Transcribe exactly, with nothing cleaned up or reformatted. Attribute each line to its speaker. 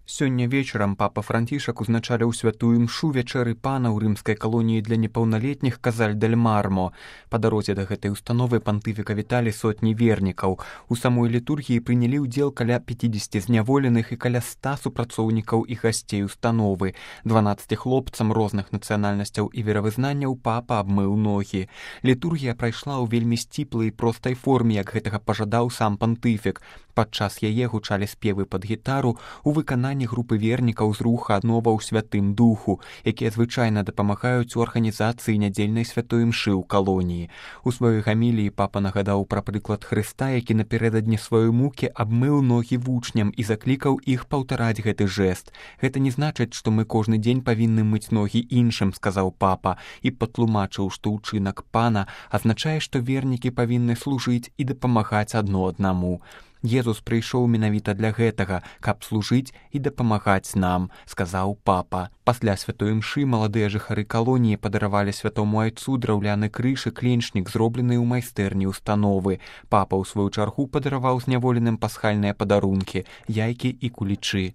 Speaker 1: Сёння вечарам папа Францішак узначаліў святую імшу вячэры пана ў рымскай калоніі для непаўналетніх Казаль-дель-Мармо. Па дарозе да гэтай установы пантыфіка віталі сотні вернікаў. У самой літургіі прынялі ўдзел каля пяцідзесяці зняволеных і каля ста супрацоўнікаў і гасцей установы. дванаццаці хлопцам розных нацыянальнасцяў і веравызнанняў папа абмыў ногі. Літургія прайшла ў вельмі сціплай і простай форме, як гэтага пажадаў сам пантыфік. Падчас яе гучалі спевы пад гітару у выкананні групы вернікаў з руха аднова ў святым духу, якія звычайна дапамагаюць у арганізацыі нядзельнай святой імшы ў калоніі. У сваёй гаміліі папа нагадаў пра прыклад Хрыста, які напярэдадні сваёй мукі абмыў ногі вучням і заклікаў іх паўтараць гэты жэст. Гэта не значыць, што мы кожны дзень павінны мыць ногі іншым, сказаў папа, і патлумачыў, што ўчынак пана азначае, што вернікі павінны служыць і дапамагаць адно аднаму. Езус прыйшоў менавіта для гэтага, каб служыць і дапамагаць нам, сказаў папа. Пасля святой імшы маладыя жыхары калоніі падаравалі святому айцу драўляны крыж і кленчнік, зроблены ў майстэрні установы. Папа ў сваю чаргу падараваў зняволеным пасхальныя падарункі, яйкі і кулічы.